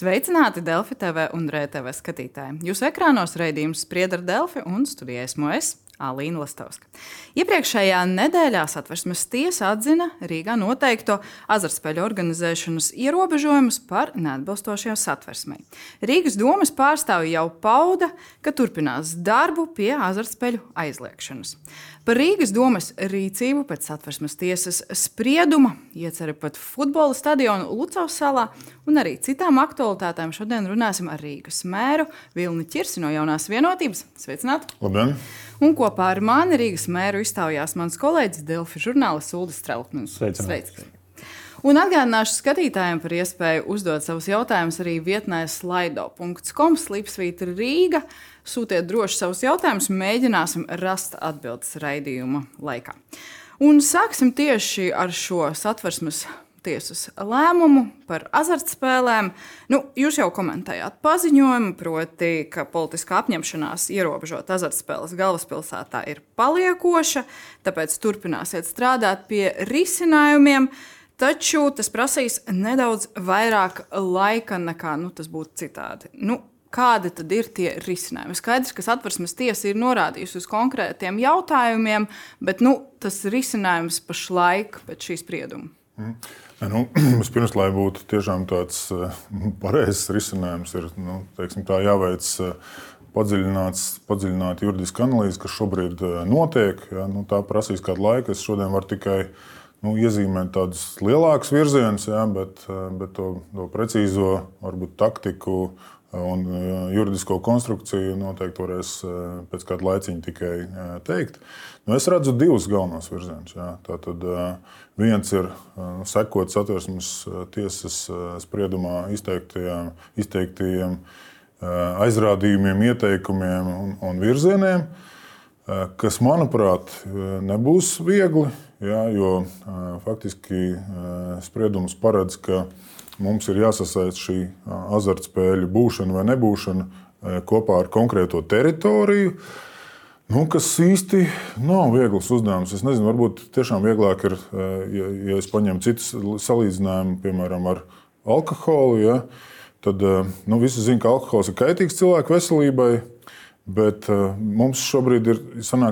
Sveicināti Delfi TV un RTV skatītāji. Jūsu ekrānos raidījums Sprieda ar Delfi un studijā esmu es, Alīna Lastovska. Iepriekšējā nedēļā Satversmes tiesa atzina Rīgā noteikto azartspēļu organizēšanas ierobežojumus par neatbilstošiem Satversmei. Rīgas domas pārstāvji jau pauda, ka turpinās darbu pie azartspēļu aizliegšanas. Par Rīgas domas rīcību pēc Satversmes tiesas sprieduma iecer pat futbola stadionu Lucavas salā un arī citām aktualitātēm šodien runāsim ar Rīgas mēru Vilni Ķirsi no Jaunās vienotības. Sveicināti! Labdien! Un kopā ar mani Rīgas mēru iztaujās mans kolēģis Delfi žurnālists Uldis Strelkmans. Sveicināti! Un atgādināšu skatītājiem par iespēju uzdot savus jautājumus arī vietnē slido.com/Rīga. Sūtiet droši savus jautājumus, mēģināsim rast atbildes raidījuma laikā. Un sāksim tieši ar šo Satversmes tiesas lēmumu par azartspēlēm. Jūs jau komentējāt paziņojumu, proti, ka politiskā apņemšanās ierobežot azartspēles galvaspilsētā ir paliekoša, tāpēc turpināsiet strādāt pie risinājumiem. Taču tas prasīs nedaudz vairāk laika nekā tas būtu citādi. Kādi tad ir tie risinājumi? Skaidrs, ka Satversmes tiesa ir norādījusi uz konkrētiem jautājumiem, bet tas risinājums pašlaik pēc šī sprieduma. Vispirms, lai būtu tiešām tāds pareizs risinājums, ir jāveic padziļināta juridiska analīze, kas šobrīd notiek. Tā prasīs kādu laiku. Es šodien varu tikai iezīmēt tādus lielākus virzienus, bet to precīzo varbūt taktiku un juridisko konstrukciju noteikti varēs pēc kāda laiciņa tikai teikt. Es redzu divus galvenos virzienus. Tātad viens ir sekot Satversmes tiesas spriedumā izteiktajiem aizrādījumiem, ieteikumiem un virzieniem, kas, manuprāt, nebūs viegli, jo faktiski spriedums paredz, ka mums ir jāsasaist šī azartspēļu būšana vai nebūšana kopā ar konkrēto teritoriju, kas īsti nav viegls uzdevums. Es nezinu, varbūt tiešām vieglāk ir, ja es paņemu citus salīdzinājumu, piemēram, ar alkoholu, tad visi zina, ka alkohols ir kaitīgs cilvēku veselībai, bet mums šobrīd ir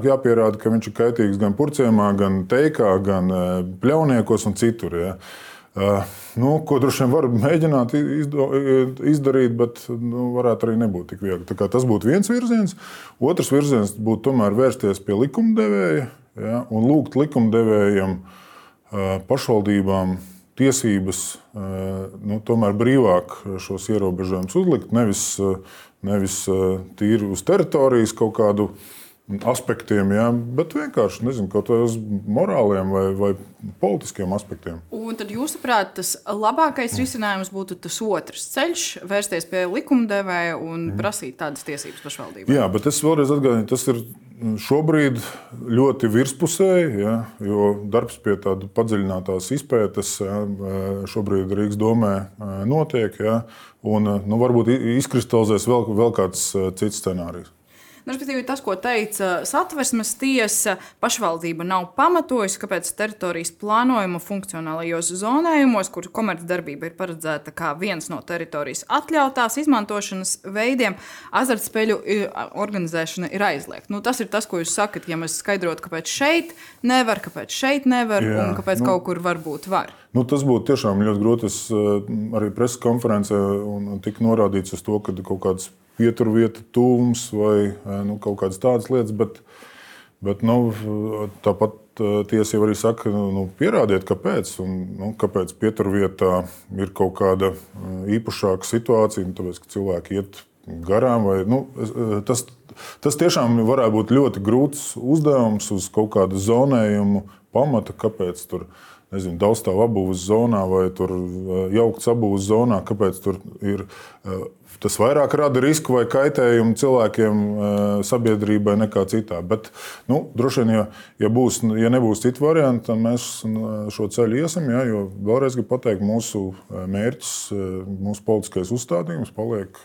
jāpierāda, ka viņš ir kaitīgs gan purciemā, gan teikā, gan pļauniekos un citur. Ko droši vien var mēģināt izdarīt, bet varētu arī nebūt tik viegli. Tas būtu viens virziens. Otrs virziens būtu tomēr vērsties pie likumdevēja un lūgt likumdevējiem, pašvaldībām tiesības tomēr brīvāk šos ierobežojumus uzlikt, nevis tīri uz teritorijas kaut kādu aspektiem, bet vienkārši kaut vai uz morāliem vai politiskiem aspektiem. Un tad, jūsuprāt, tas labākais risinājums būtu tas otrs ceļš, vērsties pie likumdevēja un prasīt tādas tiesības pašvaldībai? Jā, bet es vēlreiz atgādinu, tas ir šobrīd ļoti virspusēji, jo darbs pie tāda padziļinātās izpētes šobrīd Rīgas domē notiek, un varbūt izkristalizēs vēl kāds cits scenārijs. Respektīvi, tas, ko teica Satversmes tiesa, pašvaldība nav pamatojusi, kāpēc teritorijas plānojuma funkcionālajos zonējumos, kur komercdarbība ir paredzēta kā viens no teritorijas atļautās izmantošanas veidiem, azartspēļu organizēšana ir aizliegta. Tas ir tas, ko jūs sakat, ja mēs skaidrotu, kāpēc šeit nevar, un kāpēc kaut kur varbūt var. Tas būtu tiešām ļoti grūti. Es arī preses konferencē tika norādīts uz to, ka kaut kāds pieturvieta tūms vai kaut kādas tādas lietas, bet tāpat tiesa jau arī saka, pierādiet, kāpēc. Kāpēc pieturvietā ir kaut kāda īpašāka situācija, tāpēc, ka cilvēki iet garām. Tas tiešām varētu būt ļoti grūts uzdevums uz kaut kādu zonējumu pamata, kāpēc tur daudzstāvu apbūves zonā vai tur jauktas apbūves zonā, kāpēc tur ir. Tas vairāk rada risku vai kaitējumu cilvēkiem, sabiedrībai nekā citā. Bet, droši vien, ja nebūs citu variantu, tad mēs šo ceļu iesim. Jo vēlreiz gribu pateikt, mūsu mērķis, mūsu politiskais uzstādījums paliek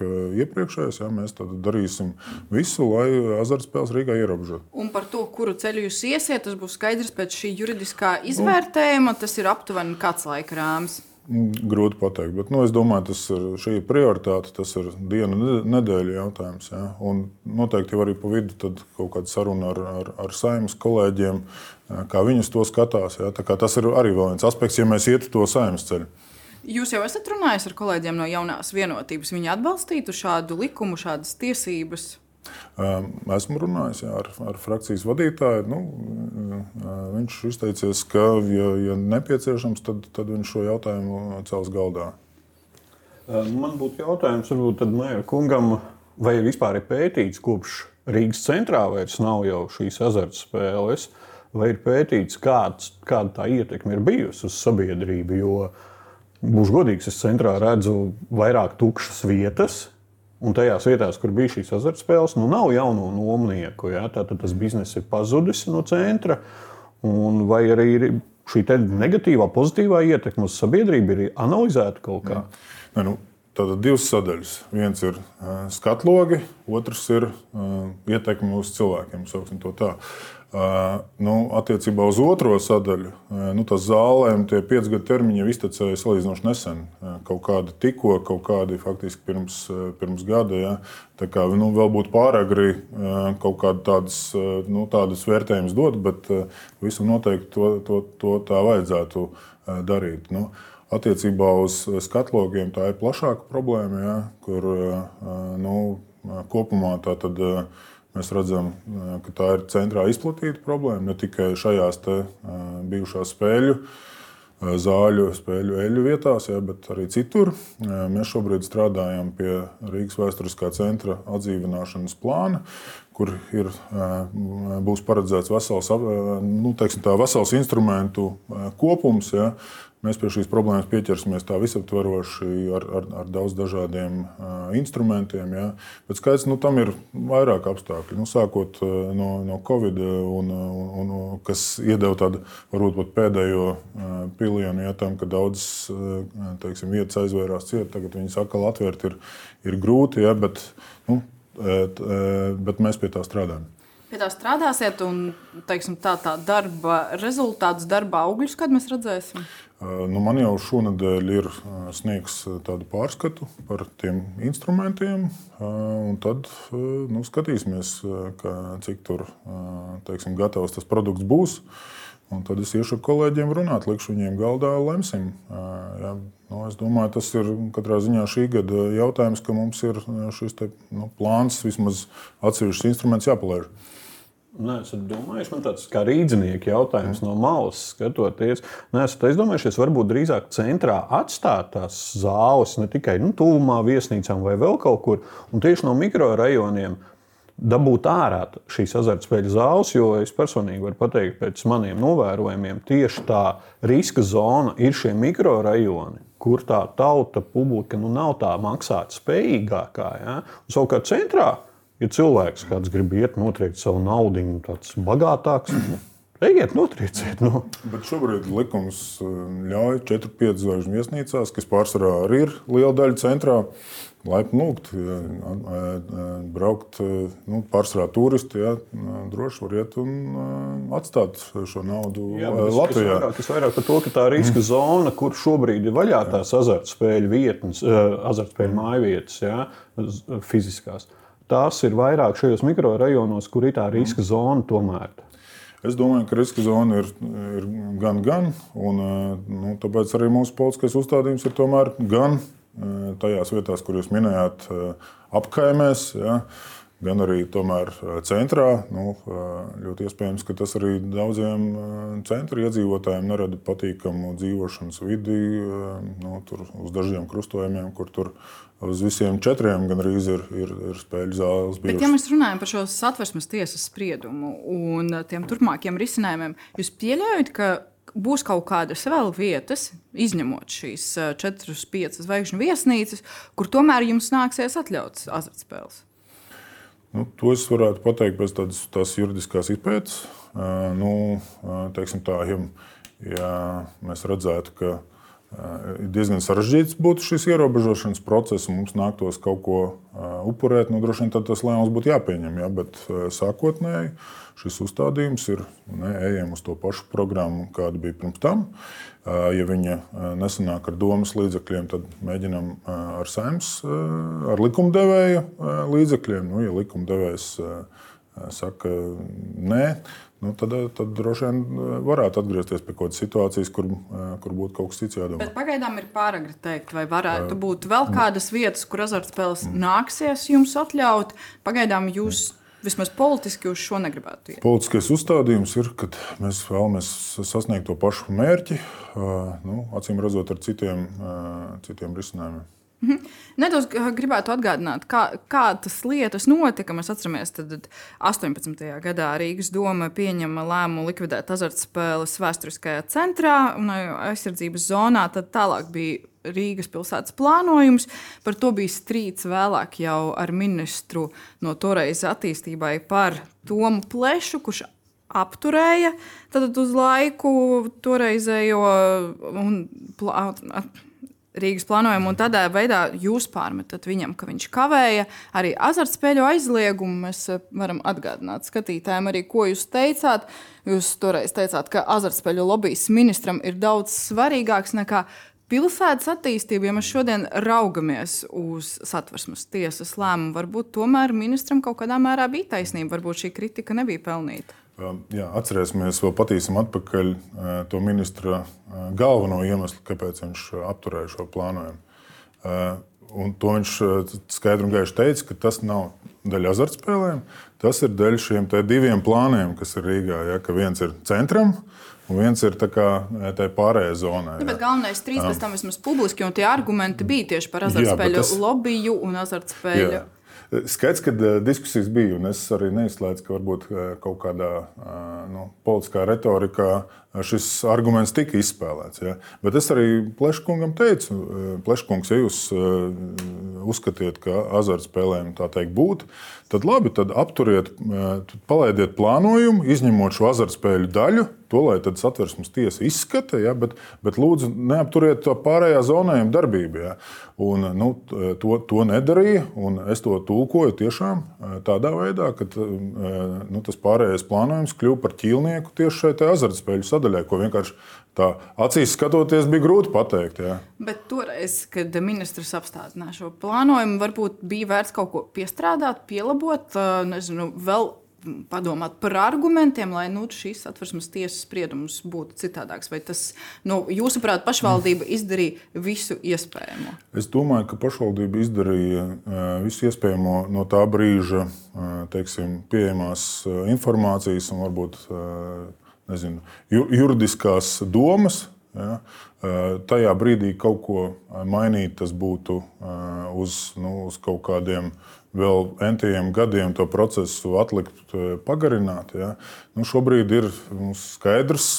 iepriekšējais. Mēs tad darīsim visu, lai azartspēles Rīgā ierobežotu. Un par to, kuru ceļu jūs iesiet, tas būs skaidrs pēc šī juridiskā izvērtējuma. Tas ir aptuveni kāds laika rāmis? Grūti pateikt, bet es domāju, šī ir prioritāte, tas ir dienu nedēļu jautājums. Ja? Un noteikti jau arī pa vidu tad kaut kāda saruna ar Saeimas kolēģiem, kā viņus to skatās. Ja? Tā kā tas ir arī vēl viens aspekts, ja mēs ietu to Saeimas ceļu. Jūs jau esat runājis ar kolēģiem no Jaunās vienotības. Viņi atbalstītu šādu likumu, šādas tiesības? Esmu runājis ar frakcijas vadītāju. Viņš izteicies, ka, ja nepieciešams, tad viņš šo jautājumu cels galdā. Man būtu jautājums, varbūt tad Mēra kungam, vai vispār ir pētīts, kopš Rīgas centrā vairs nav jau šīs azartspēles, vai ir pētīts, kāda tā ietekme ir bijusi uz sabiedrību, jo, būšu godīgs, es centrā redzu vairāk tukšas vietas, un tajās vietās, kur bija šīs azartspēles, nav jauno nomnieku. Ja? Tātad tas bizness ir pazudis no centra. Un vai arī ir šī negatīvā, pozitīvā ietekme uz sabiedrību ir analizēta kaut kā? Tātad divas sadaļas. Viens ir skatlogi, otrs ir ietekme uz cilvēkiem. Sauksim to tā. Attiecībā uz otro sadaļu, tas zālēm tie 5 gadu termiņi jau iztecēja salīdzinoši nesen. Kaut kādi tikko, kaut kādi faktiski pirms gada. Ja. Tā kā vēl būtu pāragri kaut kādas tādas vērtējumus dot, bet visam noteikti to tā vajadzētu darīt. Attiecībā uz skatlogiem tā ir plašāka problēma, ja, kur kopumā tā tad. Mēs redzam, ka tā ir centrā izplatīta problēma, ne tikai šajās bijušās zāļu, spēļu eļļu vietās, ja, bet arī citur. Mēs šobrīd strādājam pie Rīgas vēsturiskā centra atdzīvināšanas plāna, kur būs paredzēts vesels instrumentu kopums. Ja. Mēs pie šīs problēmas pieķersimies tā visaptveroši ar daudz dažādiem instrumentiem. Ja. Bet skaidrs, tam ir vairāk apstākļi. Sākot no Covid, kas iedeva tādu varbūt pat pēdējo pilienu, ja, tam, ka daudzas vietas aizvērās ciet, tagad viņas atkal atvērt ir grūti, ja, bet mēs pie tā strādājam. Pie tā strādāsiet un tā darba rezultātus, darba augļus, kad mēs redzēsim? Man jau šonadēļ ir sniegs tādu pārskatu par tiem instrumentiem, un tad skatīsimies, cik tur gatavs tas produkts būs. Un tad es iešu ar kolēģiem runāt, likšu viņiem galdā, lemsim. Ja, es domāju, tas ir katrā ziņā šī gada jautājums, ka mums ir šis plāns, vismaz atsevišķs instruments jāpalaiž. Neesat domājuši, man tāds kā rīdzinieki jautājums no malas skatoties. Neesat aizdomājušies, varbūt drīzāk centrā atstāt tās zāles, ne tikai tuvumā viesnīcām vai vēl kaut kur, un tieši no mikrorajoniem dabūt ārā šīs azartspēļu zāles, jo es personīgi varu pateikt pēc maniem novērojumiem, tieši tā riska zona ir šie mikrorajoni, kur tā tauta publika nav tā maksāt spējīgākā. Ja? Un savukārt centrā, ja cilvēks kāds grib iet notriekt savu naudiņu, tāds bagātāks, ejiet notrieciet. Bet šobrīd likums ļauj 4-5 zvaigžņu viesnīcās, kas pārsvarā arī ir liela daļa centrā, laipni lūgt, braukt, pārsvarā turisti, ja, droši var iet un atstāt šo naudu Latvijā. Es vairāk par to, ka tā riska zona, kur šobrīd ir vaļā tās azartspēļu vietnes, azartspēļu mājvietas, ja, fiziskās. Tās ir vairāk šajos mikrorajonos, kur ir tā riska zona tomēr. Es domāju, ka riska zona ir gan, un tāpēc arī mūsu politiskais uzstādījums ir tomēr gan tajās vietās, kur jūs minējāt, apkaimēs, ja, gan arī tomēr centrā. Ļoti iespējams, ka tas arī daudziem centra iedzīvotājiem nerada patīkamu dzīvošanas vidi, tur uz dažiem krustojumiem, kur tur uz visiem 4 gandrīz ir spēļu zāles bijušas. Bet, ja mēs runājam par šo Satversmes tiesas spriedumu un tiem turpmākiem risinājumiem, jūs pieļaujat, ka būs kaut kādas vēl vietas, izņemot šīs 4-5 zvaigžņu viesnīcas, kur tomēr jums nāksies atļauts azartspēles? To es varētu pateikt pēc tās juridiskās izpētes. Teiksim tā, ja mēs redzētu, ka ir diezgan sarežģīts būtu šis ierobežošanas process, un mums nāktos kaut ko upurēt. Droši vien tad tas lēmums būtu jāpieņem, ja, bet sākotnēji šis uzstādījums ir ejam uz to pašu programmu, kāda bija pirms tam. Ja viņa nesanāk ar domas līdzekļiem, tad mēģinām ar Saeimas, ar likumdevēja līdzekļiem. Ja likumdevējs saka nē, tad droši vien varētu atgriezties pie kaut kādas situācijas, kur būtu kaut kas cits jādomā. Bet pagaidām ir pāragri teikt, vai varētu būt vēl kādas vietas, kur azartspēles nāksies jums atļaut. Pagaidām jūs vismaz politiski uz šo negribētu iet. Politiskais uzstādījums ir, ka mēs vēlamies sasniegt to pašu mērķi, acīm redzot ar citiem risinājumiem. Nedaudz gribētu atgādināt, kā tas lietas notika. Mēs atceramies, tad 18. gadā Rīgas doma pieņema lēmumu likvidēt azartspēles vēsturiskajā centrā un aizsardzības zonā. Tad tālāk bija Rīgas pilsētas plānojums. Par to bija strīds vēlāk jau ar ministru no toreiz attīstībai par Tomu Plešu, kurš apturēja tad uz laiku toreizējo Rīgas plānojumu, un tādā veidā jūs pārmetat viņam, ka viņš kavēja arī azartspēļu aizliegumu. Mēs varam atgādināt skatītājiem arī, ko jūs teicāt. Jūs toreiz teicāt, ka azartspēļu lobijas ministram ir daudz svarīgāks nekā pilsētas attīstība. Ja mēs šodien raugamies uz Satversmes tiesas lēmumu, varbūt tomēr ministram kaut kādā mērā bija taisnība, varbūt šī kritika nebija pelnīta. Jā, atcerēsimies, vēl patīsim atpakaļ to ministra galveno iemeslu, kāpēc viņš apturēja šo plānojumu. Un to viņš skaidri un gaiši teica, ka tas nav daļa azartspēlēm, tas ir daļa šiem diviem plāniem, kas ir Rīgā. Ja, ka viens ir centram, un viens ir tā pārējā zonā. Bet galvenais strīds pēc tam vismaz publiski, un tie argumenti bija tieši par azartspēļu lobiju un azartspēļu. Skaidrs, ka diskusijas bija, un es arī neizslēdzu, ka varbūt kaut kādā politiskā retorikā šis arguments tika izspēlēts. Ja? Bet es arī Pleškungam teicu, Pleškungs, ja jūs uzskatiet, ka azartspēlēm tā teikt būtu, tad labi, tad apturiet, palaidiet plānojumu, izņemot šo azartspēļu daļu, to, lai tad Satversmes tiesa izskata, ja? Bet lūdzu neapturiet to pārējā zonējuma darbību. Ja? Un, to nedarīja, un es to tulkoju tiešām tādā veidā, ka tas pārējais plānojums kļuva par ķīlnieku tieši šai azartspēļu sadaļai, ko vienkārši tā acīs skatoties bija grūti pateikt. Ja. Bet toreiz, kad ministrs apstādināja šo plānojumu, varbūt bija vērts kaut ko piestrādāt, pielabot, nezinu, vēl padomāt par argumentiem, lai šīs Satversmes tiesas spriedums būtu citādāks. Vai tas, jūsuprāt, pašvaldība izdarīja visu iespējamo? Es domāju, ka pašvaldība izdarīja visu iespējamo no tā brīža, teiksim, pieejamās informācijas un varbūt juridiskās domas. Ja, tajā brīdī kaut ko mainīt, tas būtu uz kaut kādiem vēl entajiem gadiem to procesu atlikt, pagarināt. Ja. Šobrīd ir skaidrs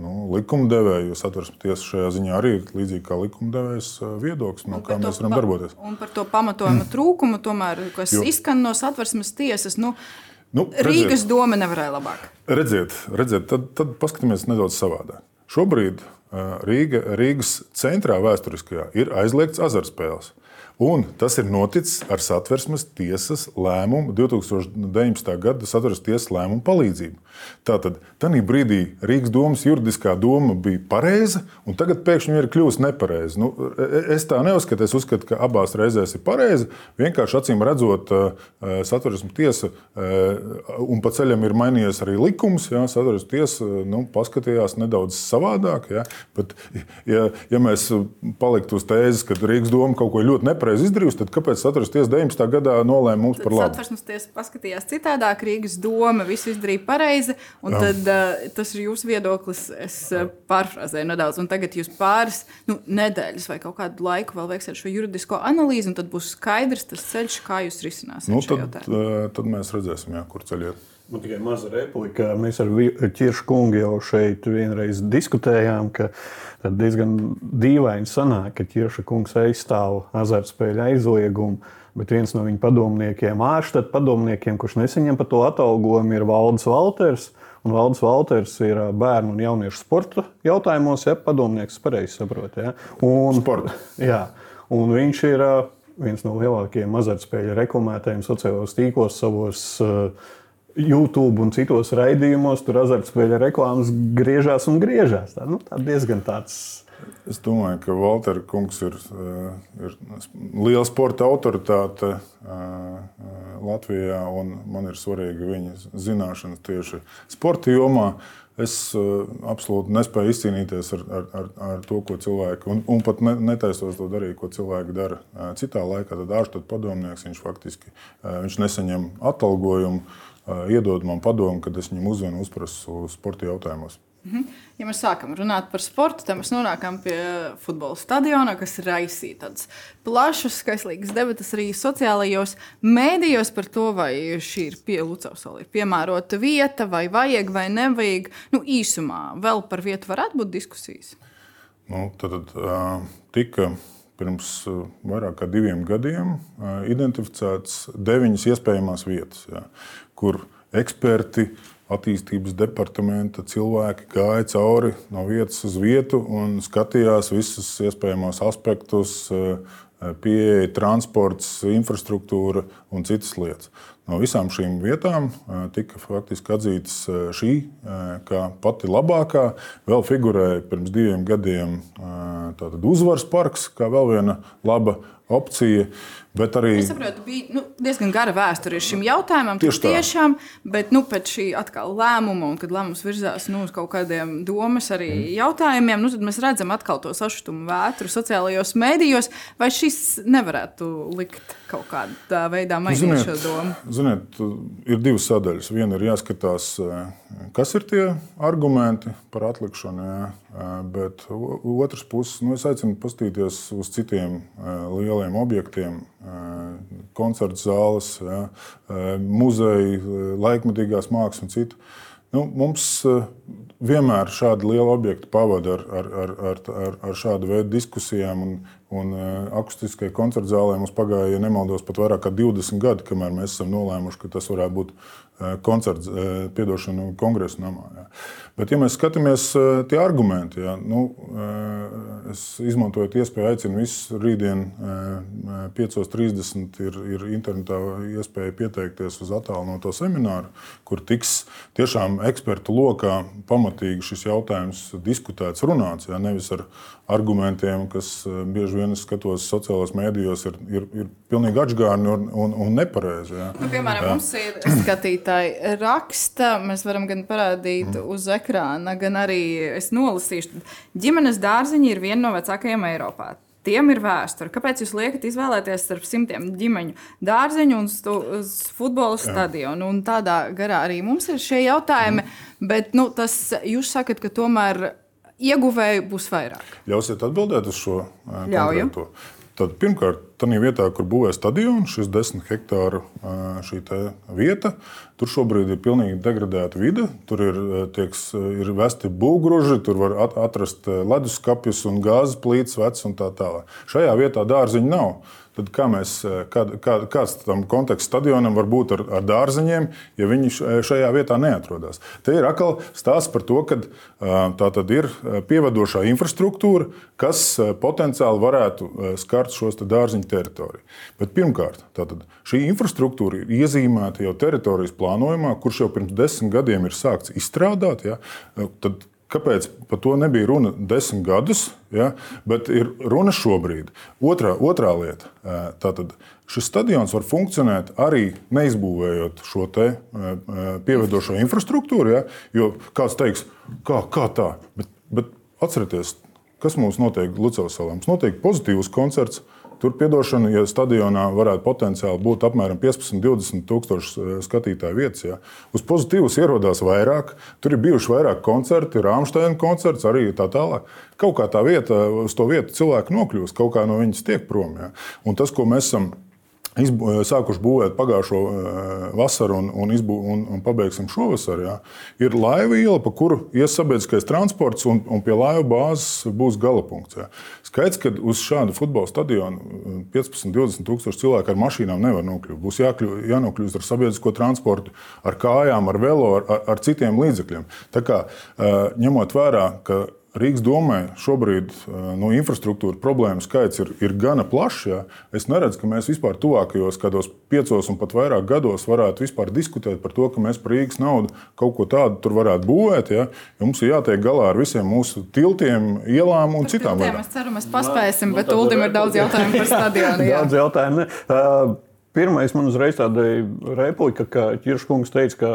likumdevēja, jo Satversmes tiesa šajā ziņā arī ir līdzīgi kā likumdevējs viedoklis, kā mēs varam darboties. Un par to pamatojuma trūkumu, tomēr, kas izskan no Satversmes tiesas, Rīgas doma nevarēja labāk. Redziet, tad paskatāmies nedaudz savādāk. Šobrīd Rīgas centrā vēsturiskajā ir aizliegts azartspēles. Un tas ir noticis ar Satversmes tiesas lēmumu, 2019. gada Satversmes tiesas lēmumu palīdzību. Tātad, tajā brīdī Rīgas domas juridiskā doma bija pareiza, un tagad pēkšņi ir kļuvusi nepareiza. Es tā neuzskatu, es uzskatu, ka abās reizēs ir pareiza. Vienkārši acīm redzot, Satversmes tiesa, un pa ceļam ir mainījies arī likums, ja, Satversmes tiesa paskatījās nedaudz savādāk. Ja, bet, ja mēs paliktu uz tēzes, ka Rīgas doma kaut ko ļoti nepareizi izdarījusi, tad kāpēc Satversmes tiesa 19. gadā nolēma mums par labu? Satversmes tiesa paskatījās citādāk, Rīgas doma visu izdarīja pareizi, un tad tas ir jūsu viedoklis, es pārfrāzēju nedaudz, un tagad jūs pāris nedēļas vai kaut kādu laiku vēl veiksiet šo juridisko analīzi, un tad būs skaidrs tas ceļš, kā jūs risināsiet šo jautājumu. Tad mēs redzēsim, jā, kur ceļ iet. Man tikai maza replika. Mēs ar Ķiršu kungu jau šeit vienreiz diskutējām, ka diezgan dīvaini sanāk, ka Ķirša kungs aizstāv azartspēļu aizliegumu, bet viens no viņa padomniekiem, ārštata padomniekiem, kurš nesaņem par to atalgojumu, ir Valdis Valters. Un Valdis Valters ir bērnu un jauniešu sporta jautājumos, padomnieks, pareizi saprot. Ja? Sporta. Jā, un viņš ir viens no lielākajiem azartspēļu reklamētājiem sociālajos tīklos, savos YouTube un citos raidījumos. Tur azartspēļu reklāmas griežās un griežās. Tā diezgan tāds. Es domāju, ka Valtera kungs ir liela sporta autoritāte Latvijā, un man ir svarīga viņa zināšanas tieši sporta jomā. Es absolūti nespēju izcīnīties ar to, ko cilvēki, un pat netaisos to darīt, ko cilvēki dara citā laikā. Tad ārštata padomnieks, viņš nesaņem atalgojumu, iedod man padomu, kad es viņam uzvanu uzprasu sporta jautājumos. Ja mēs sākam runāt par sportu, tad mēs nonākam pie futbola stadiona, kas raisīja tādas plašas, skaislīgas debatas arī sociālajos mēdījos par to, vai šī ir Lucavsala ir piemērota vieta, vai vajag vai nevajag. Īsumā vēl par vietu varētu būt diskusijas. Tad tika pirms vairāk kā 2 gadiem identificētas 9 iespējamās vietas, kur eksperti, attīstības departamenta cilvēki gāja cauri no vietas uz vietu un skatījās visus iespējamos aspektus, pieeja, transports, infrastruktūra un citas lietas. No visām šīm vietām tika faktiski atzītas šī kā pati labākā. Vēl figurēja pirms 2 gadiem tātad Uzvaras parks kā vēl viena laba opcija. Bet arī es saprotu, bija diezgan gara vēsture šim jautājumam. Tiešām, bet pēc šī atkal lēmuma, un kad lēmums virzās uz kaut kādiem domas arī jautājumiem, tad mēs redzam atkal to sašutumu vētru sociālajos mēdījos. Vai šis nevarētu likt kaut kādā veidā mainīt šo domu? Ziniet, ir 2 sadaļas. Viena ir jāskatās, kas ir tie argumenti par atlikšanu, bet otrs puses, es aicinu paskatīties uz citiem lieliem objektiem, koncertu zāles, muzeji, laikmetīgās mākslas un citu. Mums vienmēr šādi lieli objekti pavada ar šādu veidu diskusijām un akustiskai koncertu zālē. Mums pagāja, ja nemaldos, pat vairāk kā 20 gadi, kamēr mēs esam nolēmuši, ka tas varētu būt kongresu namā. Bet, ja mēs skatāmies tie argumenti, es izmantojot iespēju aicinu visus rītdien 5:30 ir internetā iespēja pieteikties uz attālināto semināru, kur tiks tiešām ekspertu lokā pamatīgi šis jautājums diskutēts, runāts, nevis ar argumentiem, kas bieži vien skatos sociālajos mēdījos, ir pilnīgi atžgārni un nepareizi. Piemēram, mums ir skatītāji raksta, mēs varam gan parādīt uz ekrāna, gan arī es nolasīšu. Ģimenes dārziņi ir viena no vecākajiem Eiropā. Tiem ir vēsture. Kāpēc jūs liekat izvēlēties starp 100 ģimeņu dārziņu un futbola stadionu? Un tādā garā arī mums ir šie jautājumi, bet jūs sakat, ka tomēr ieguvēju būs vairāk. Ļausiet atbildēt uz šo konkrēto? Tad, pirmkārt, tādā vietā, kur būvē stadionu, šis 10 hektāru šī vieta, tur šobrīd ir pilnīgi degradēta vide. Tur ir vesti būvgruži, tur var atrast leduskapjus un gāzes plīts vecs un tā tālāk. Šajā vietā dārziņa nav. Tad kāds tam konteksts stadionam var būt ar dārziņiem, ja viņi šajā vietā neatrodas? Te ir atkal stāsts par to, ka tā tad ir pievedošā infrastruktūra, kas potenciāli varētu skart šos dārziņu teritoriju. Bet pirmkārt, tātad šī infrastruktūra ir iezīmēta jau teritorijas plānojumā, kurš jau pirms 10 gadiem ir sākts izstrādāt. Tad kāpēc par to nebija runa 10 gadus, bet ir runa šobrīd? Otrā lieta. Tātad šis stadions var funkcionēt arī neizbūvējot šo pievedošo infrastruktūru, jo kāds teiks, kā tā? Bet atcerieties, kas mums notiek Lucavsalā? Mums notiek pozitīvs koncerts. Tur, piedošana, ja stadionā varētu potenciāli būt apmēram 15-20 tūkstoši skatītāju vietas. Uz pozitīvas ierodās vairāk, tur ir bijuši vairāk koncerti, Rāmsteina koncerts, arī tā tālāk. Kaut kā tā vieta, uz to vietu cilvēki nokļūst, kaut kā no viņas tiek prom. Un tas, ko mēs esam sākuši būvēt pagājušo vasaru un pabeigsim šovasar, jā, ir laiva iela, pa kuru ies sabiedriskais transports un pie laiva bāzes būs galapunkts. Jā. Skaidrs, ka uz šādu futbola stadionu 15-20 tūkstoši cilvēku ar mašīnām nevar nokļūt. Būs jānokļūst ar sabiedrisko transportu, ar kājām, ar velo, ar citiem līdzekļiem. Tā kā ņemot vērā, ka Rīgas domai šobrīd infrastruktūra problēmu skaits ir gana plašs. Ja? Es neredzu, ka mēs vispār tuvākajos kādos 5 un pat vairāk gados varētu vispār diskutēt par to, ka mēs par Rīgas naudu kaut ko tādu tur varētu būvēt. Ja? Jo mums ir jātiek galā ar visiem mūsu tiltiem, ielām un citām lietām. Es ceru, mēs paspēsim, bet Uldim ir daudz jautājumu par stadionu. Daudz jautājumu. Pirmais man uzreiz tāda replika, ka Ķirškungs teica, ka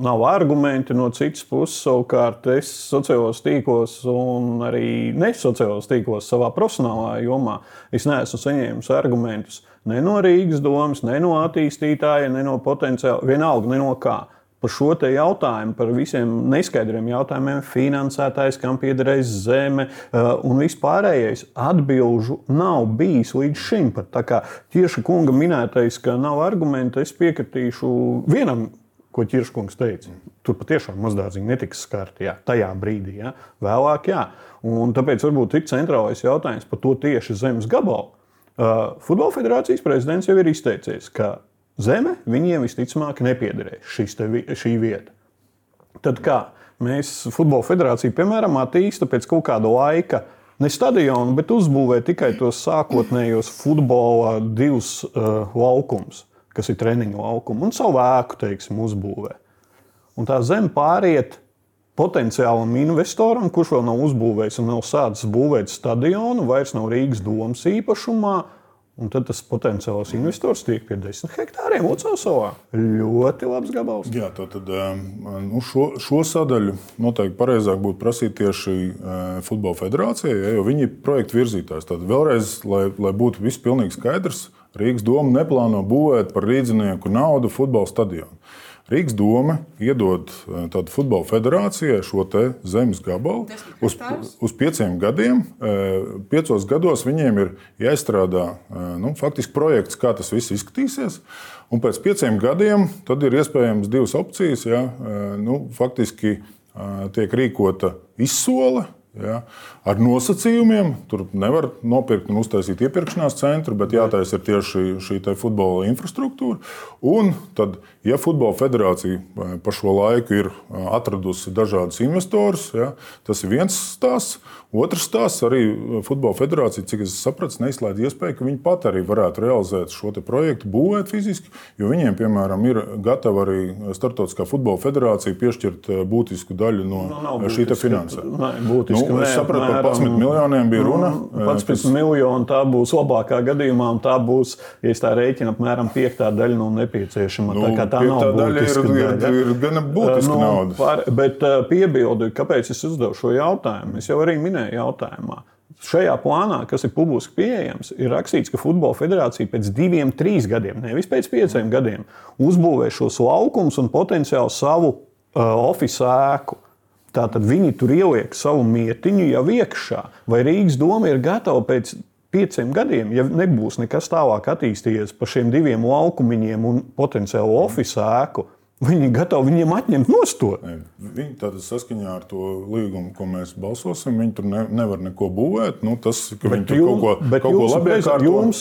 nav argumenti no citas puses. Savukārt es sociālos tīklos un arī nesociālos tīklos savā profesionālā jomā es neesmu saņēmis argumentus ne no Rīgas domas, ne no attīstītāja, ne no potenciāla, vienalga, ne no kā. Par šo te jautājumu, par visiem neskaidriem jautājumiem, finansētājs, kam piederēs zeme un vispārējais atbilžu nav bijis līdz šim. Pat tā kā Ķirša kunga minētais, ka nav argumenti, es piekritīšu vienam, ko Ķirša kungs teica. Tur patiešām mazdārziņi netiks skarti, jā, tajā brīdī, jā. Vēlāk, jā. Un tāpēc varbūt ir centrālais jautājums par to tieši zemes gabalu. Futbola federācijas prezidents jau ir izteicies, ka zeme viņiem visticamāk nepiederēs šī vieta. Tad kā mēs Futbola federācija, piemēram, attīsta pēc kaut kāda laika ne stadionu, bet uzbūvē tikai tos sākotnējos futbola 2 laukums, kas ir treniņu laukumi, un savu ēku, teiksim, uzbūvē. Un tā zeme pāriet potenciālam investoram, kurš vēl nav uzbūvējis un nav sācis būvēt stadionu, vairs nav Rīgas domas īpašumā. Un tad tas potenciāls investors tiek pie 10 hektāriem Lucavsalā. Ļoti labs gabals. Jā, tad šo sadaļu noteikti pareizāk būtu prasīt tieši Futbola federācijai, jo viņi ir projektu virzītājs. Tad vēlreiz, lai būtu viss pilnīgi skaidrs, Rīgas doma neplāno būvēt par rīdzinieku naudu futbola stadionu. Rīgas doma iedod tādu Futbola federācijai šo te zemes gabalu uz 5 gadiem. 5 gados viņiem ir jāizstrādā faktiski projekts, kā tas viss izskatīsies. Un pēc 5 gadiem tad ir iespējams 2 opcijas. Ja, faktiski tiek rīkota izsole. Ja, ar nosacījumiem. Tur nevar nopirkt un uztaisīt iepirkšanās centru, bet jātaisa ir tieši šī futbola infrastruktūra. Un tad, ja Futbola federācija pa šo laiku ir atradusi dažādus investorus, ja, tas ir viens stāsts. Otrs stāsts arī Futbola federācija, cik es sapratu, neizslēdz iespēju, ka viņi pat arī varētu realizēt šo te projektu, būvēt fiziski, jo viņiem, piemēram, ir gatava arī Startautiskā futbola federācija piešķirt būtisku daļu no šī te finansējuma. Es sapratu, par 11 miljoniem bija runa. 11 miljoni tā būs labākā gadījumā, un tā būs, ja es tā rēķinu, apmēram 5. daļa no nepieciešama. Tā kā tā nav būtiska daļa. Ir gana būtiska nauda. Bet piebildu, kāpēc es uzdevu šo jautājumu? Es jau arī minēju jautājumā. Šajā plānā, kas ir publiski pieejams, ir rakstīts, ka Futbola federācija pēc 2-3 gadiem, nevis pēc 5 gadiem, uzbūvē šos laukumus un potenciāli savu ofisu ēku. Tātad viņi tur ieliek savu mietiņu jau iekšā. Vai Rīgas doma ir gatava pēc 5 gadiem, ja nebūs nekas tālāk attīstījies par šiem 2 laukumiņiem un potenciālu ofisu ēku, viņi gatavi viņiem atņemt nostot? Viņi tātad saskaņā ar to līgumu, ko mēs balsosim, viņi tur nevar neko būvēt. Tas, ka viņi tur kaut ko labi iekārto. Jums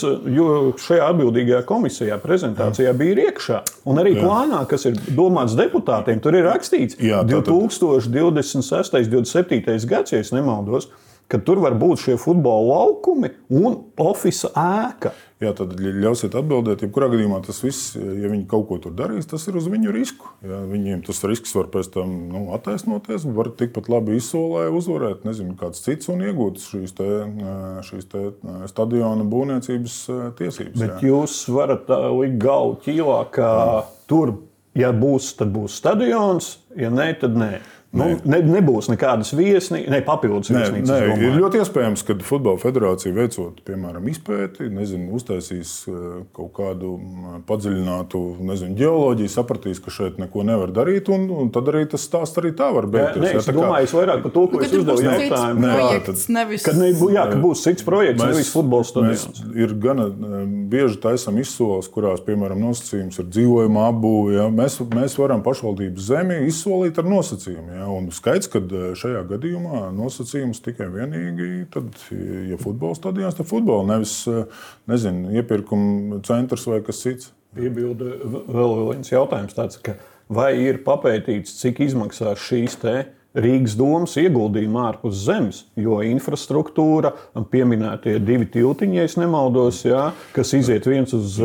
šajā atbildīgajā komisijā prezentācijā bija iekšā. Un arī plānā, kas ir domāts deputātiem, tur ir rakstīts 2026. 27. gads, ja es nemaldos, ka tur var būt šie futbola laukumi un ofisa ēka. Jā, tad ļausiet atbildēt. Jebkurā gadījumā tas viss, ja viņi kaut ko tur darīs, tas ir uz viņu risku. Ja, viņiem tas risks var pēc tam attaisnoties, var tikpat labi izsolē uzvarēt, nezinu, kāds cits un iegūt šīs te stadiona būvniecības tiesības. Bet jūs varat likt galvu ķīlā, ka tur, ja būs, tad būs stadions, ja nē, tad nē. Nebūs nekādas papildus viesnīcas. Ir ļoti iespējams, ka Futbola federācija veicot, piemēram, izpēti, uztaisīs kaut kādu padziļinātu ģeoloģiju, sapratīs, ka šeit neko nevar darīt, un tad arī tas stāsts arī tā var beigties. Es domāju vairāk par to, ko es uzdevu jautājumu. Ka būs cits projekts, nevis futbola stadions. Ir gana bieži taisam izsoles, kurās, piemēram, nosacījums ir dzīvojuma apbūve. Ja? Mēs varam pašvaldības zemi izsolīt ar nosacījumu. Ja? Un skaidrs, ka šajā gadījumā nosacījums tikai vienīgi, tad, ja futbola stadions, tad futbola, nevis, iepirkuma centrs vai kas cits. Piebildu vēl viens jautājums tāds, ka vai ir papētīts, cik izmaksās šīs Rīgas domas ieguldījumi ārpus zemes, jo infrastruktūra, pieminētie 2 tiltiņi, ja es nemaldos, kas iziet viens uz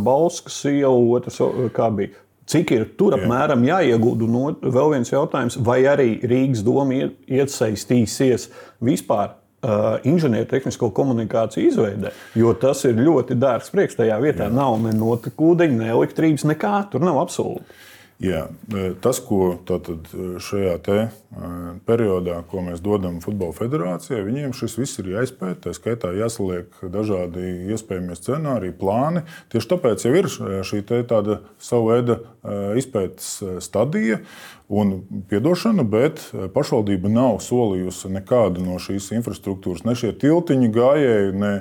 Bauskas ielu, otrs kā bija. Cik ir tur apmēram jāiegulda? Vēl viens jautājums, vai arī Rīgas doma iesaistīsies vispār inženiertehnisko komunikāciju izveidē, jo tas ir ļoti dārgs priekš tajā vietā. Nav ne notekūdeņa, ne elektrības, nekā, tur nav absolūti. Jā, tas, ko tātad šajā periodā, ko mēs dodam Futbola federācijai, viņiem šis viss ir jāizpēta, tā skaitā jāsaliek dažādi iespējamie scenāriji, plāni. Tieši tāpēc jau ir šī tāda savu veida izpētes stadija un piedošana, bet pašvaldība nav solījusi nekādu no šīs infrastruktūras, ne šie tiltiņi gājēji, ne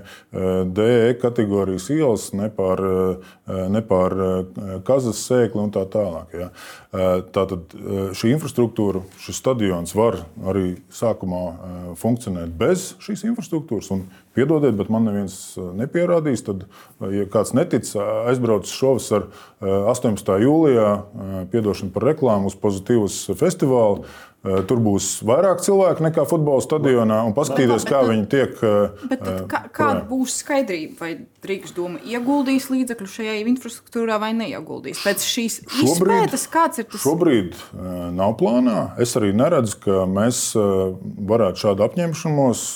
DE kategorijas ielas, ne pār kazas sēkli un tā tālāk. Ja. Tātad šī infrastruktūra, šis stadions var arī sākumā funkcionēt bez šīs infrastruktūras. Un piedodiet, bet man neviens nepierādīs. Tad, ja kāds netic, aizbrauc šovasar 18. jūlijā, piedošana par reklāmu uz Pozitīvas festivālu. Tur būs vairāk cilvēku nekā futbola stadionā un paskatīties, kā viņi tiek. Kāda būs skaidrība, vai Rīgas doma ieguldīs līdzekļu šajā infrastruktūrā vai neieguldīs? Pēc šīs izpētes, kāds ir tas? Šobrīd nav plānā. Es arī neredzu, ka mēs varētu šādu apņemšanos,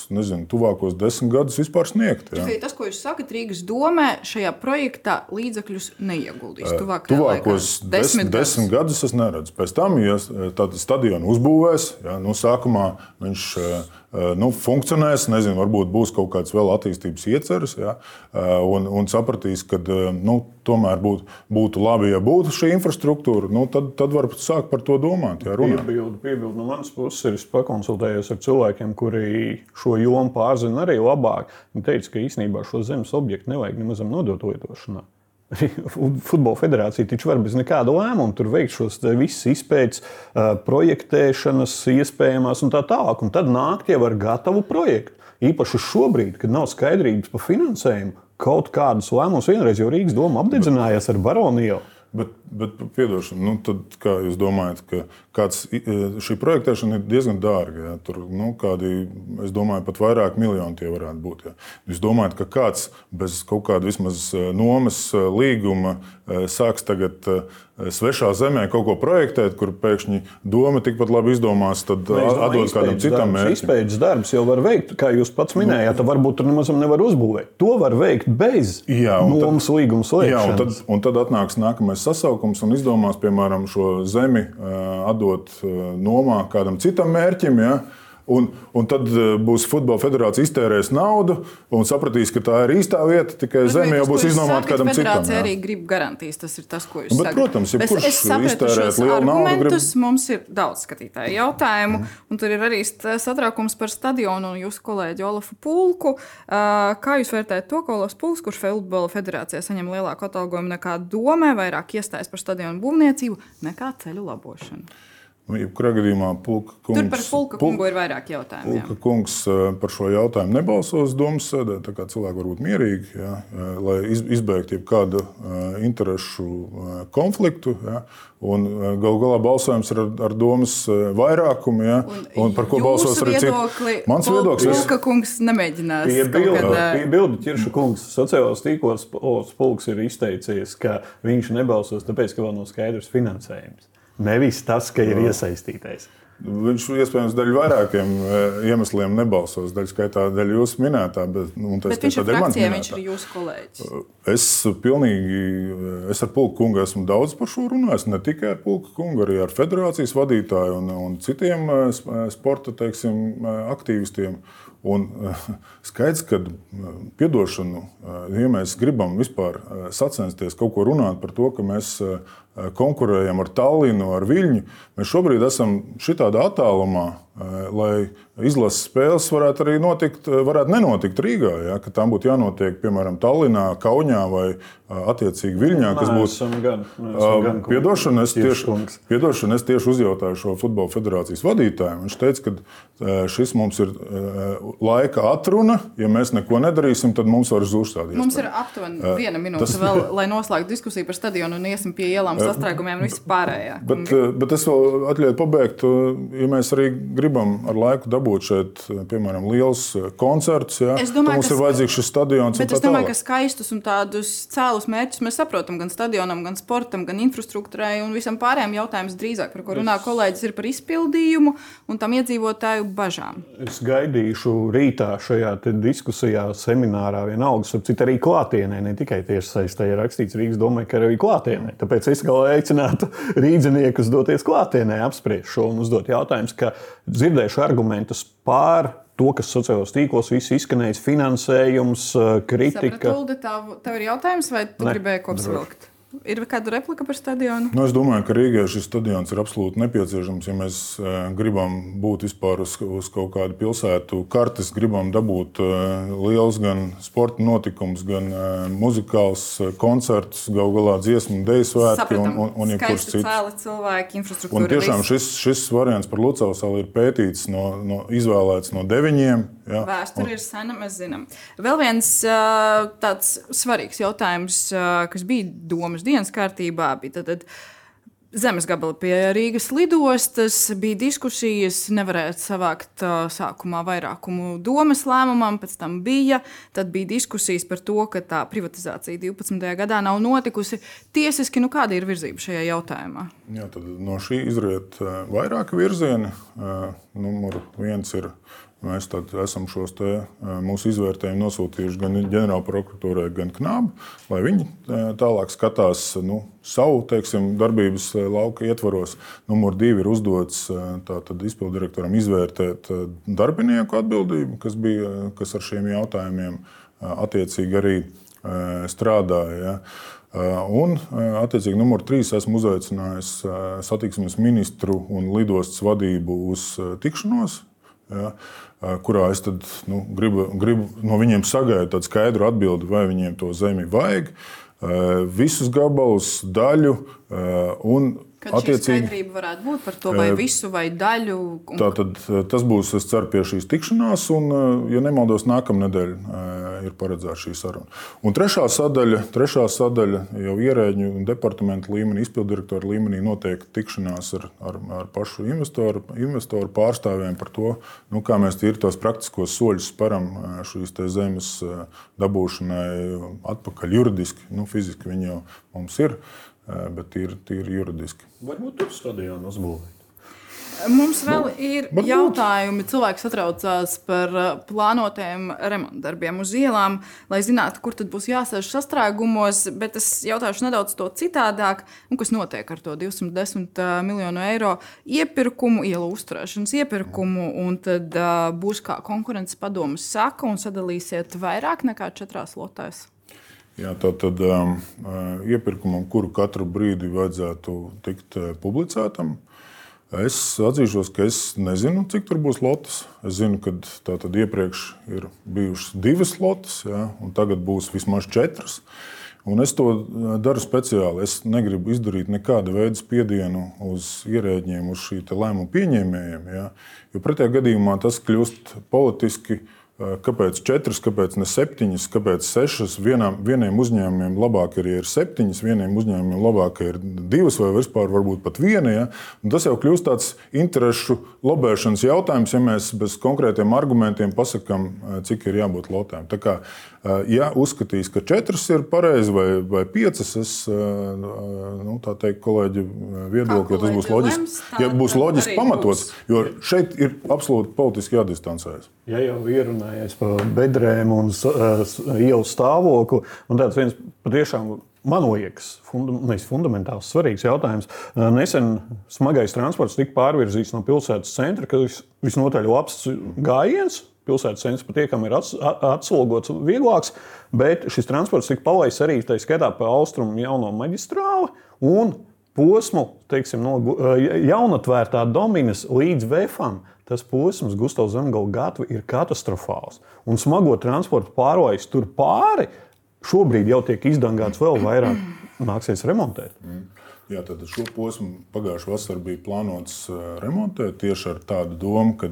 tuvākos 10 gadus vispār sniegt. Ja. Tas, ko jūs sakat, Rīgas domē šajā projektā līdzekļus neieguldīs tuvākos 10 gadus es neredzu. Pēc tam, ja tāda stadiona uzbūvēs, sākumā viņš funkcionēs, varbūt būs kaut kāds vēl attīstības ieceres, un sapratīs, ka tomēr būtu labi, ja būtu šī infrastruktūra, tad var sākt par to domāt. Piebildu no manas puses ir, es pakonsultējos ar cilvēkiem, kuri šo jomu pārzina arī labāk. Viņi teica, ka īstenībā šo zemes objektu nevajag nemazam nodot lietošanā. Futbola federācija taču var bez nekāda lēmuma tur veikt šos visas izpētes, projektēšanas iespējamās un tā tālāk. Un tad nākt jau ar gatavu projektu. Īpaši šobrīd, kad nav skaidrības par finansējumu, kaut kādus lēmumus vienreiz jau Rīgas doma apdedzinājās ar Baronu ielu. Bet piedošana, tad kā jūs domājat, ka šī projektēšana ir diezgan dārga? Ja? Tur es domāju, pat vairāk miljoni tie varētu būt. Ja? Jūs domājat, ka kāds bez kaut kāda vismaz nomas līguma sāks tagad svešā zemē kaut ko projektēt, kur pēkšņi doma tikpat labi izdomās, tad atdod kādam citam mērķim? Izpētes darbs jau var veikt, kā jūs pats minējāt, tad varbūt tur nemazam nevar uzbūvēt. To var veikt bez nomas līguma slēgšanas. Un tad atnāks nākamais sasaukums un izdomās, piemēram, šo zemi atdot nomā kādam citam mērķim, ja? Un tad būs Futbola federācija iztērēs naudu un sapratīs, ka tā ir īstā vieta, tikai zeme jau būs iznomāta kādam citam. Federācija arī grib garantijas, tas ir tas, ko jūs sakat. Protams, es sapratu šos argumentus, mums ir daudz skatītāju jautājumu, un tur ir arī satraukums par stadionu un jūsu kolēģi Olafu Pulku. Kā jūs vērtējat to, ka Olafs Pulks, kurš Futbola federācijā saņem lielāku atalgojumu nekā domē, vairāk iestājas par stadionu būvniecību nekā ceļu labošanu? Jebkurā gadījumā Pulka kungs... Tur par Pulka kungu ir vairāk jautājumu. Pulka kungs par šo jautājumu nebalsos domas sēdē, tā kā cilvēki var būt mierīgi, lai izbeigtu jebkādu interešu konfliktu. Un galu galā balsojums ir ar domas vairākumu, un par ko balsos arī citi. Mans viedoklis... Pulka kungs nemēģinās Piebildu Ķirša kungs. Sociālos tīklos Pulks ir izteicies, ka viņš nebalsos, tāpēc, ka vēl nav skaidrs finansējums. Nevis tas, ka ir iesaistītais. Viņš iespējams daļu vairākiem iemesliem nebalsos, daļu skaitā daļu jūsu minētā. Bet viņš ir frakcijā, viņš ir jūsu kolēģis. Es ar Pulka kungu esmu daudz par šo runājis, ne tikai ar Pulka kungu, arī ar federācijas vadītāju un citiem sporta, aktīvistiem. Un skaidrs, ka piedošanu, ja mēs gribam vispār sacensties kaut ko runāt par to, ka mēs konkurējam ar Tallinu, ar Viļņu, mēs šobrīd esam šitādā attālumā, lai izlases spēles varētu arī nenotikt Rīgā, ja, ka tām būtu jānotiek, piemēram, Tallinā, Kaunijā vai attiecīgi Viļņā, kas būtu. Piedošana, es tieši uzjautāju šo futbola federācijas vadītājiem. Viņš teica, ka šis mums ir laika atruna. Ja mēs neko nedarīsim, tad mums var zūst tādi iespējas. Mums ir aptuveni 1 minūte vēl, lai noslēgtu diskusiju par stadionu un iesim pie ielām, sastrēgumiem un visu pārējā. Bet es vēl atļauju pabeigt, ja mēs arī gribam ar laiku dabūt šeit, piemēram, liels koncerts, ja, mums ir vajadzīgs šis stadions. Bet es domāju, ka skaistus un tādus cēlus mērķus mēs saprotam gan stadionam, gan sportam, gan infrastruktūrai un visam pārējiem jautājums drīzāk, par ko runā kolēģis, ir par izpildījumu un tam iedzīvotāju bažām. Es gaidīšu rītā šajā diskusijā, seminārā vienalga, sapcīt arī klātienē, ne tikai tiešsaistē ir rakstīts Rīgas domai, ka arī klātienē. Tāpēc es aicinātu rīdziniekus doties klātienē, apspriest šo un uzdot jautājumus, ka dzirdēšu argumentus pār to, kas sociālos tīklos viss izskanējis, finansējums, kritika. Sapratu, tev ir jautājums, vai tu gribēji kopsavilkt? Ir kāda replika par stadionu? Es domāju, ka Rīgai šis stadions ir absolūti nepieciešams. Ja mēs gribam būt vispār uz kaut kādu pilsētu kartes, gribam dabūt liels gan sporta notikums, gan muzikāls koncerts, galu galā dziesmu, deju svētki un jebkurš cits. Cēli cilvēki, infrastruktūra. Un tiešām šis variants par Lucavas salu ir pētīts, izvēlēts no 9. Ja, Vēsture ir sena, mēs zinām. Vēl viens tāds svarīgs jautājums, kas bija domas dienas kārtībā, bija tad zemes gabali pie Rīgas lidostas, bija diskusijas, nevarēja savākt sākumā vairākumu domas lēmumam, pēc tam tad bija diskusijas par to, ka tā privatizācija 12. gadā nav notikusi. Tiesiski, kāda ir virzība šajā jautājumā? Jā, tad no šī izriet vairāki virzieni. Numur 1 ir. Mēs esam šos mūsu izvērtējumus nosūtījuši gan ģenerālprokuratūrai, gan KNAB, lai viņi tālāk skatās savu darbības lauka ietvaros. Numur 2 ir uzdots izpilddirektoram izvērtēt darbinieku atbildību, kas ar šiem jautājumiem attiecīgi arī strādāja. Ja. Un, attiecīgi, numur 3 esmu uzaicinājis satiksmes ministru un lidostas vadību uz tikšanos. Ja, kurā es gribu no viņiem sagaidīt tādu skaidru atbildi, vai viņiem to zemi vajag, visus gabalus, daļu un Kad šī skaidrība varētu būt par to, vai visu, vai daļu? Tātad tas būs, es ceru, pie šīs tikšanās, un, ja nemaldos, nākamnedēļ ir paredzēta šī saruna. Un trešā sadaļa jau ierēģņu un departamentu līmenī, izpilddirektoru līmenī notiek tikšanās ar pašu investoru pārstāvjiem par to, kā mēs tīri tos praktiskos soļus sparam šīs zemes dabūšanai atpakaļ juridiski. Fiziski viņi jau mums ir. Bet tīri juridiski. Varbūt tur stadionu uzbūvēt. Mums vēl ir jautājumi. Cilvēki satraucās par plānotajiem remontdarbiem uz ielām, lai zinātu, kur tad būs jāsēž sastrēgumos, bet es jautāšu nedaudz to citādāk, kas notiek ar to 210 miljonu eiro iepirkumu, ielu uzturēšanas iepirkumu, un tad būs kā konkurences padomes saka un sadalīsiet vairāk nekā 4 lotēs. Jā, tātad iepirkumam, kuru katru brīdi vajadzētu tikt publicētam. Es atzīšos, ka es nezinu, cik tur būs lotes. Es zinu, ka tātad iepriekš ir bijušas 2 lotes, jā, un tagad būs vismaz 4. Un es to daru speciāli. Es negribu izdarīt nekāda veida spiedienu uz ierēģiem, uz šī lēmumu pieņēmējiem. Jā, jo pretējā gadījumā tas kļūst politiski. Kāpēc 4, kāpēc ne 7, kāpēc 6? Vieniem uzņēmumiem labāk ir 7, vieniem uzņēmumiem labāk ir 2 vai vispār varbūt pat 1. Ja? Un tas jau kļūst tāds interešu lobēšanas jautājums, ja mēs bez konkrētiem argumentiem pasakām, cik ir jābūt lotēm. Tā kā, ja uzskatīs, ka 4 ir pareizi vai 5, es tā teikt kolēģi viedokli, ja tas būs loģiski, ja būs loģiski pamatots, jo šeit ir absolūti politiski jādistancējas. Ja jau ierunājies par bedrēm un ielu stāvokli, un tāds viens patiešām, man liekas, fundamentāls svarīgs jautājums. Nesen smagais transports tika pārvirzīts no pilsētas centra, kas visnotaļ labs gājiens. Pilsētas centrs patiekami ir atslogots vieglāks, bet šis transports tika palaists arī tā skaitā pa austrumu jauno maģistrāli un posmu, no jaunatvērtā Dominas līdz Vefam. tas posms Gustavs Zemgala gatava ir katastrofāls. Un smago transportu pārvājis tur pāri, šobrīd jau tiek izdangāts vēl vairāk, nāksies remontēt. Jā, tad šo posmu pagājušā vasarā bija plānots remontēt tieši ar tādu domu, ka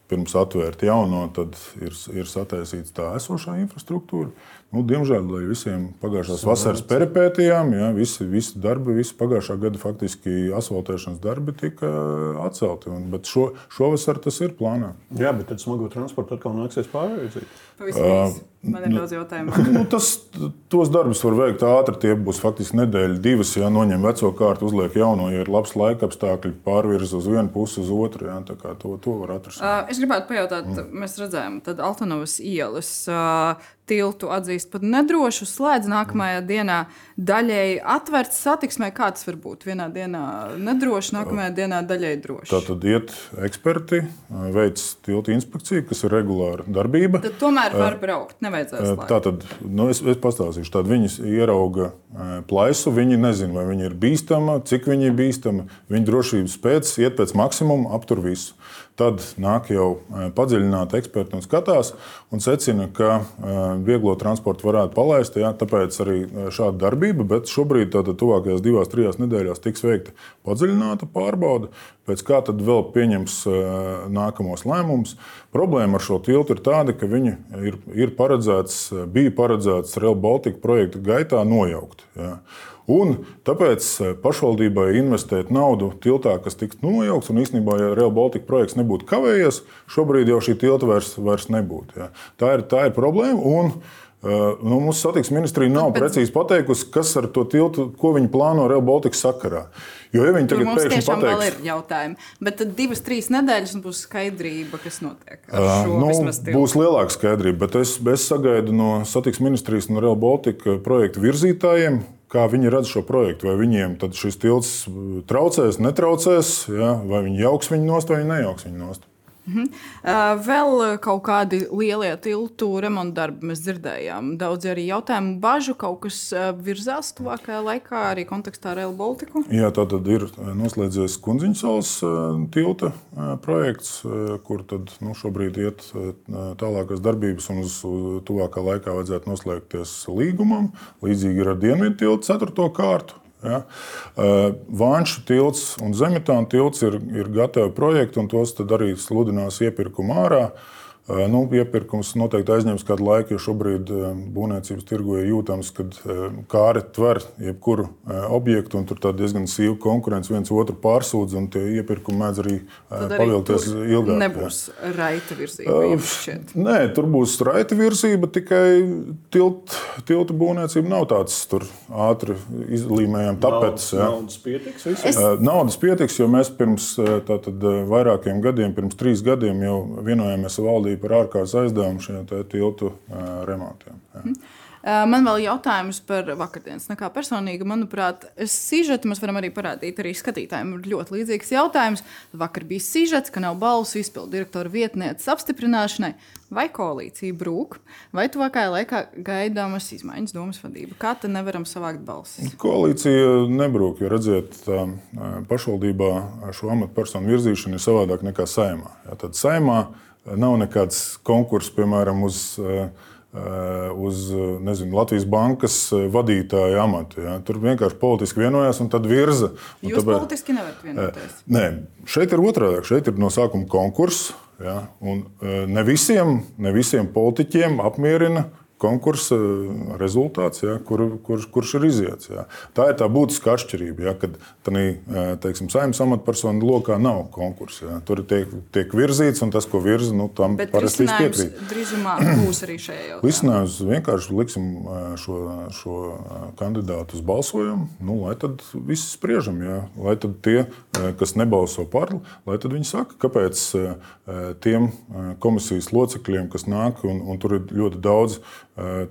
pirms atvērt jauno, tad ir sataisīts tā esošā infrastruktūra. Diemžēl, lai visiem pagājušās vasaras peripētijām, visi darbi, visi pagājušā gada faktiski asfaltēšanas darbi tika atcelti. Bet šovasar tas ir plānā. Jā, bet tad smago transportu atkal nāksies pārveidzīt. Pavisam man ir daudz jautājumu. Tos darbus var veikt ātri. Tie būs faktiski nedēļa, divas. Ja noņem veco kārtu, uzliek jauno, ja ir labs laika apstākļi, pārvirza uz vienu pusi, uz otru. Ja, tā kā to var atrisināt. Es gribētu pajautāt, mēs redzējām, tad Altanovas ielas tiltu atzīst par nedrošu, slēdz nākamajā dienā daļēji atvērts satiksmē. Kā tas var būt? Vienā dienā nedroši, nākamajā dienā daļēji droši. Tātad iet eksperti, veic tiltu inspekciju, kas ir regulāra darbība. Tad tomēr var braukt, nevajadzēs slēgt. Tātad, es pastāstīšu. Tad viņi ierauga plaisu, viņi nezina, vai viņi ir bīstama, cik viņi ir bīstama. Viņi drošības pēc iet pēc maksimuma, aptur visu. Tad nāk jau padziļināti eksperti un skatās un secina, ka vieglo transportu varētu palaist. Jā, tāpēc arī šāda darbība, bet šobrīd tuvākajās 2-3 nedēļās tiks veikta padziļināta pārbaude. Pēc kā tad vēl pieņems nākamos lēmumus. Problēma ar šo tiltu ir tāda, ka viņi bija paredzēts Rail Baltica projekta gaitā nojaukt. Jā. Un tāpēc pašvaldībai investēt naudu tiltā, kas tiks nojaukts, un īstenībā, ja Rail Baltica projekts nebūtu kavējies, šobrīd jau šī tilta vairs nebūtu. Ja. Tā ir problēma, un mūsu satiksmes ministrija nav precīzi pateikusi, kas ar to tiltu, ko viņi plāno Rail Baltica sakarā. Jo, ja viņi tagad pēkšņi pateiks... vēl ir jautājumi, bet tad 2-3 nedēļas būs skaidrība, kas notiek ar šo vismaz tiltu. Būs lielāka skaidrība, bet es sagaidu no satiksmes ministrijas un Rail Baltica projektu virzītājiem, kā viņi redz šo projektu, vai viņiem tad šis tilts traucēs, netraucēs, ja? Vai viņi jauks viņu nost, vai viņi nejauks viņu nost. Vēl kaut kādi lielie tiltu remonta darbi mēs dzirdējām. Daudz arī jautājumu, bažu, kaut kas virzās tuvākajā laikā arī kontekstā ar Rail Balticu? Jā, tātad ir noslēdzies Kundziņsalas tilta projekts, kur tad šobrīd iet tālākās darbības un uz tuvākā laikā vajadzētu noslēgties līgumam. Līdzīgi ir ar Dienvidu tiltu 4. kārtu. Ja. Vānšu tilts un Zemetāna tilts ir gatavi projekti, un tos tad arī sludinās iepirkumu ārā. Iepirkums noteikti aizņems kādu laiku, jo šobrīd būvniecības tirgu ir jūtams, kad kāri tver jebkuru objektu, un tur diezgan sīva konkurence viens otru pārsūdz, un tie iepirkumi mēdz arī pavilkties ilgāk. Nebūs raita virzība? Nē, tur būs raita virzība, tikai tilta būvniecība nav tāds tur ātri izlīmējam tapetes. Naudas pietiks? Naudas pietiks, jo mēs pirms vairākiem gadiem, pirms 3 gadiem jau vienojāmies ar valdību par ārkārtas aizdevumu šiem tiltu remontiem. Man vēl jautājums par vakardienas. Kā personīgi, manuprāt, sižeti mēs varam arī parādīt arī skatītājiem. Ir ļoti līdzīgs jautājums. Vakar bija sižets, ka nav balsu izpildu direktora vietnieces apstiprināšanai. Vai koalīcija brūk, vai tuvākajā laikā gaidāmas izmaiņas domas vadība? Kā tad nevaram savākt balsis? Koalīcija nebrūk, jo redziet, pašvaldībā šo amatpersonu virzīšana ir savādāk nekā Saeimā. Ja, tad Saeimā nav nekāds konkurss, piemēram, uz Latvijas bankas vadītāja amatu. Ja. Tur vienkārši politiski vienojās un tad virza. Un Jūs politiski nevarat vienoties? Nē, šeit ir otrādāk. Šeit ir no sākuma konkurss. Ja, un ne visiem politiķiem apmierina konkursa rezultāts, ja, kurš ir iziets. Ja. Tā ir tā būtiska atšķirība, ja, kad Saeimas amatpersonu lokā nav konkursa. Ja. Tur tiek virzīts, un tas, ko virza, tam parasti piekrīt. Bet drīzumā būs arī šajā jautājumā? Risinājums vienkārši liksim šo kandidātu uz balsojumu, lai tad visi spriežam. Ja. Lai tad tie, kas nebalso par, lai tad viņi saka, kāpēc tiem komisijas locekļiem, kas nāk, un tur ir ļoti daudz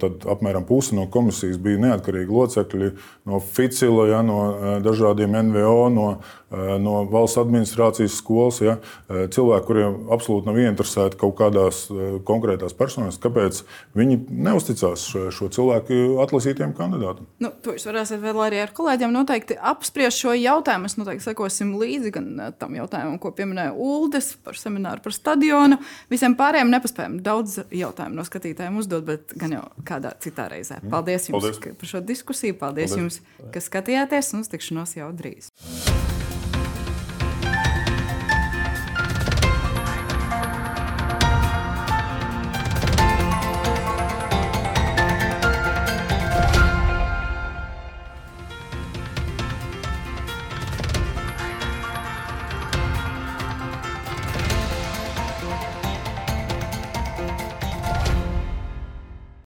tad apmēram pusi no komisijas bija neatkarīgi locekļi no Ficila, ja, no dažādiem NVO, no valsts administrācijas skolas. Ja, cilvēki, kuriem absolūti nav ieinteresēti kaut kādās konkrētās personās, kāpēc viņi neusticās šo cilvēku atlasītiem kandidātam. To jūs varēsiet vēl arī ar kolēģiem noteikti apspriest šo jautājumu. Mēs noteikti sekosim līdzi gan tam jautājumam, ko pieminēja Uldis par semināru par stadionu. Visiem pārējiem nepaspējam daudz jautājumu no skatītājiem uzdot, bet gan jau kādā citā reizē. Paldies jums par šo diskusiju. Paldies jums, ka skatījāties, un uz tikšanos jau drīz.